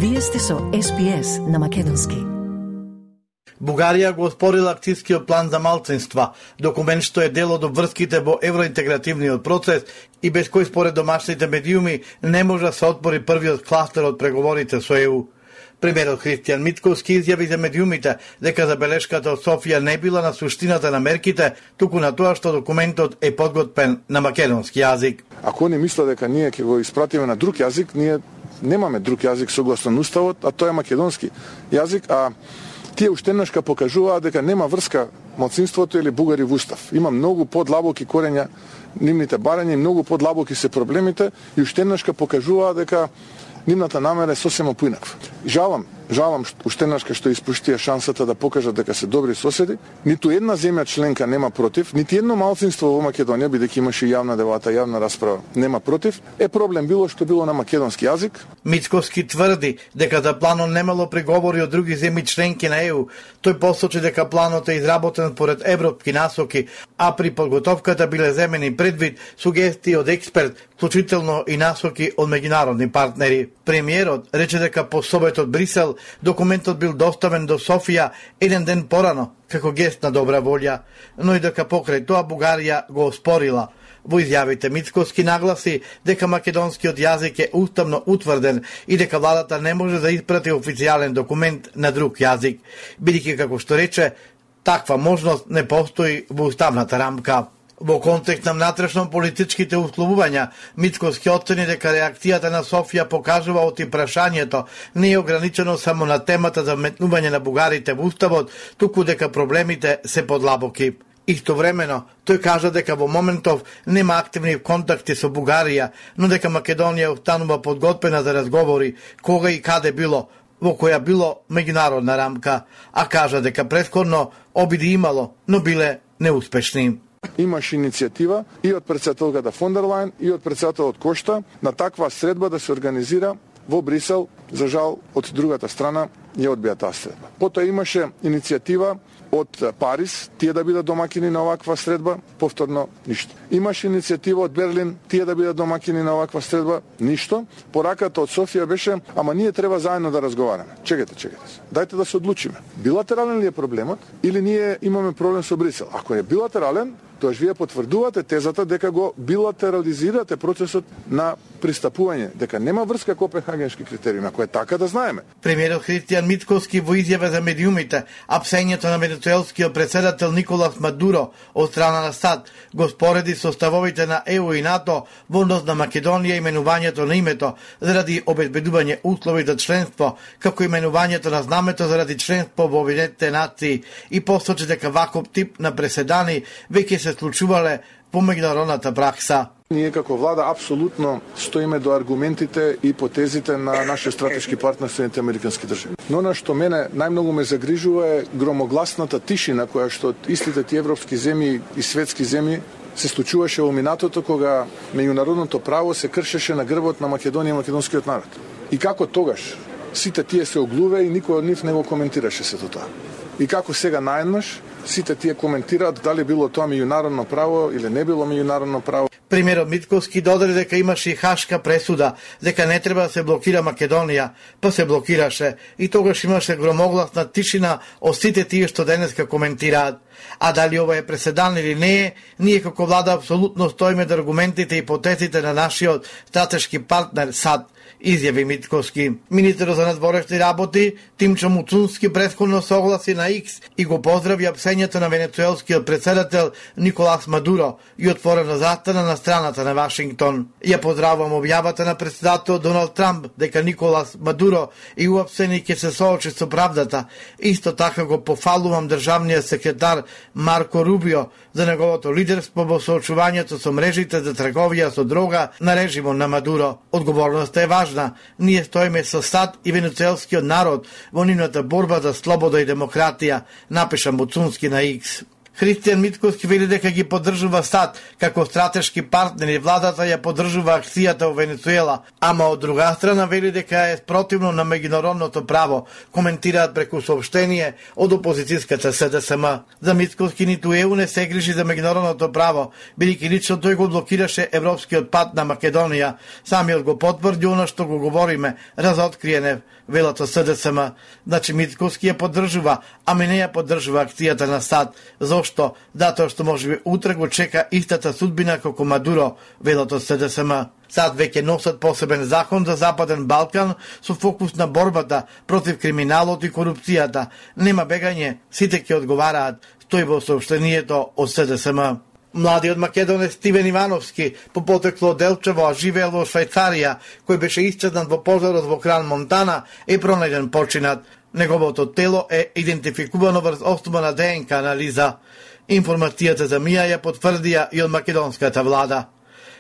Вие сте со SPS на македонски. Бугарија го оспорила акцијскиот план за малцинства, документ што е дел од врските во евроинтегративниот процес и без кој според домашните медиуми не може да се отпори првиот кластер од преговорите со ЕУ. Премиерот Христијан Мицкоски изјави за медиумите дека забелешката од Софија не била на суштината на мерките, туку на тоа што документот е подготвен на македонски јазик. Ако не мисла дека ние ќе го испратиме на друг јазик, ние немаме друг јазик согласно уставот, а тоа е македонски јазик, а тие уштенашка покажуваат дека нема врска малцинството или бугари во устав. Има многу подлабоки корења нивните барања и многу подлабоки се проблемите и уштенашка покажуваат дека нивната намера е сосема поинаква. Жалам уштенашка што испуштија шансата да покажат дека се добри соседи. Ниту една земја членка нема против, нити едно малцинство во Македонија, бидејќи имаше јавна дебата, јавна расправа, нема против. Е проблем било што било на македонски јазик. Мицкоски тврди дека за планот немало преговори од други земји членки на ЕУ. Тој посочи дека планот е изработен поред европски насоки, а при подготовката биле земени предвид сугестии од експерт, вклучително и насоки од меѓународни партнери. Премиерот рече дека по собет од Брисел документот бил доставен до Софија еден ден порано, како гест на добра волја, но и дека покрај тоа Бугарија го оспорила. Во изјавите Мицкоски нагласи дека македонскиот јазик е уставно утврден и дека владата не може да испрати официјален документ на друг јазик, бидејќи како што рече, таква можност не постои во уставната рамка. Во контекст на внатрешно политичките условувања, Мицкоски оцени дека реакцијата на Софија покажува оти прашањето не е ограничено само на темата за вметнување на бугарите во уставот, туку дека проблемите се подлабоки. Истовремено, тој кажа дека во моментов нема активни контакти со Бугарија, но дека Македонија останува подготвена за разговори кога и каде било, во која било меѓународна рамка, а кажа дека претходно обиди имало, но биле неуспешни. Имаше иницијатива и од претседателката фон дер Лајен и од претседателот Кошта на таква средба да се организира во Брисел. За жал, од другата страна ја одбија таа средба. Потоа имаше иницијатива од Париз, тие да бидат домакини на оваква средба, повторно ништо. Имаше иницијатива од Берлин, тие да бидат домакини на оваква средба, ништо. Пораката од Софија беше, ама ние треба заедно да разговараме. Чекайте се. Дајте да се одлучиме. Билатерален ли е проблемот или ние имаме проблем со Брисел? Ако е билатерален, тоаш вие потврдувате тезата дека го билатерализирате процесот на пристапување, дека нема врска копенхагенски критериуми, ако е така да знаеме. Премиерот Христијан Мицкоски во изјава за медиумите, апсењето на венецуелскиот претседател Николас Мадуро од страна на САД го спореди со ставовите на ЕУ и НАТО во однос на Македонија именувањето на името заради обезбедување услови за членство, како именувањето на знамето заради членство во Обединетите нации и посочи дека ваков тип на преседани веќе се случувале по меѓународната пракса. Ние како влада апсолутно стоиме до аргументите и потезите на нашиот стратешки партнер Соединетите американски држави. Но на што мене најмногу ме загрижува е громогласната тишина која што од истите ти европски земји и светски земји се случуваше во минатото кога меѓународното право се кршеше на грбот на Македонија и македонскиот народ. И како тогаш сите тие се оглуве и никој од нив не го коментираше сето тоа. И како сега наеднаш сите тие коментираат дали било тоа меѓународно право или не било меѓународно право. Премиерот Мицкоски додаде дека имаше и хашка пресуда, дека не треба да се блокира Македонија, па се блокираше и тогаш имаше громогласна тишина од сите тие што денеска коментираат. А дали ова е преседан или не е, ние како влада апсолутно стоиме до аргументите и потезите на нашиот стратешки партнер САД, изјави Мицкоски. Министерот за надворешни работи Тимчо Муцунски претходно согласи на Икс и го поздрави апсењето на венецуелскиот претседател Николас Мадуро и отворено застана на страната на Вашингтон. Ја поздравувам објавата на претседател Доналд Трамп дека Николас Мадуро и уапсени ќе се соочи со правдата. Исто така го пофалувам државниот секретар Марко Рубио за неговото лидерство во соочувањето со мрежите за трговија со дрога на режимот на Мадуро. Одговорноста е важна. Ние стоиме со САД и венецуелскиот народ во нивната борба за слобода и демократија, напиша Муцунски на Икс. Христијан Митковски вели дека ги поддржува САД како стратешки партнер и владата ја поддржува акцијата во Венецуела, ама од друга страна вели дека е спротивно на меѓународното право, коментираат преку соопштение од опозицијската СДСМ. За Митковски ниту ЕУ не се грижи за меѓународното право, бидејќи лично тој го блокираше европскиот пат на Македонија. Самиот го потврди она што го говориме, разоткриене велото СДСМ. Значи Митковски ја поддржува, ами не ја поддржува акцијата на САД. Зошто? Затоа што можеби утре го чека истата судбина како Мадуро, велото СДСМ. САД веќе носат посебен закон за Западен Балкан со фокус на борбата против криминалот и корупцијата. Нема бегање, сите ќе одговараат, стои во соопштението од СДСМ. Младиот македонец Стивен Ивановски, по потекло од Делчево, а живеел во Швајцарија, кој беше исчезнат во пожарот во Кран Монтана, е пронајден починат. Неговото тело е идентификувано врз основа на ДНК анализа. Информацијата за МИА ја потврдија и од македонската влада.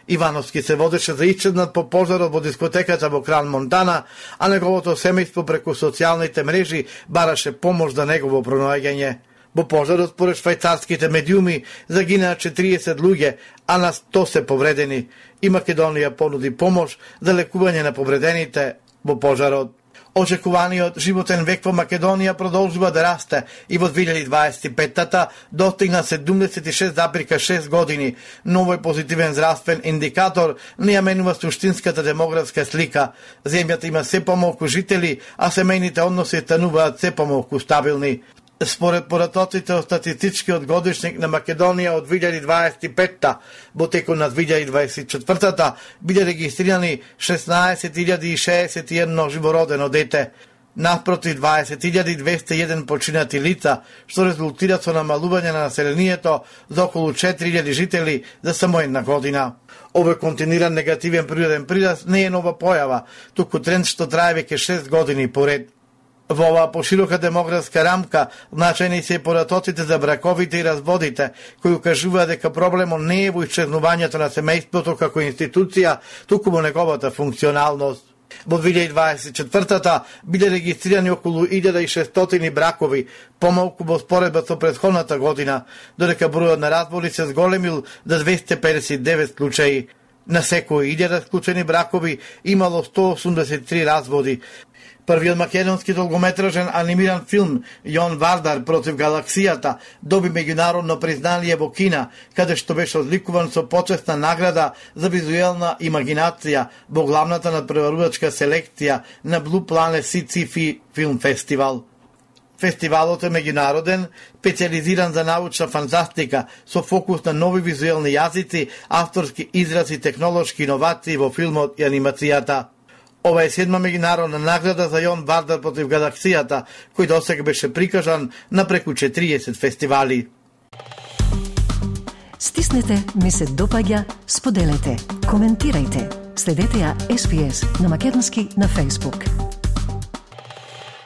Ивановски се водеше за исчезнат по пожарот во дискотеката во Кран Монтана, а неговото семејство преку социјалните мрежи бараше помош за негово пронаоѓање. Во пожарот, според швајцарските медиуми, загинаа 40 луѓе, а на 100 се повредени. И Македонија понуди помош за лекување на повредените во пожарот. Очекуваниот животен век во Македонија продолжува да расте и во 2025-та достигна 76,6 години. Новој позитивен здравствен индикатор не ја менува суштинската демографска слика. Земјата има се помалку жители, а семејните односи стануваат се помалку стабилни. Според поратоците од статистичкиот годишник на Македонија од 2025-та, во текот на 2024-та биле регистрирани 16.061 живородено дете, наспроти 20.201 починати лица, што резултира со намалување на населението за околу 4.000 жители за само една година. Овој континуиран негативен природен прираст не е нова појава, туку тренд што трае веќе 6 години поред. Во оваа поширока демографска рамка, значајни се и поратоците за браковите и разводите, кои укажуваат дека проблемот не е во исчезнувањето на семејството како институција, туку во неговата функционалност. Во 2024-та биле регистрирани околу 1600 бракови, помалку во споредба со претходната година, додека бројот на разводи се зголемил за 259 случаи. На секои 1000 склучени бракови имало 183 разводи. Првиот македонски долгометражен анимиран филм Јон Вардар против галаксијата доби меѓународно признание во Кина, каде што беше одликуван со почесна награда за визуелна имагинација во главната надпреварувачка селекција на Blue Planet Sci-Fi Film Festival. Фестивалот е меѓународен, специализиран за научна фантастика, со фокус на нови визуелни јазици, авторски изрази и технолошки иновации во филмот и анимацијата. Ова е 7-ма меѓународна награда за Јон Вардар против галаксијата, кој досега беше прикажан на преку 40 фестивали. Стиснете, ми се допаѓа, споделете, коментирајте. Следете ја SPS на македонски на Facebook.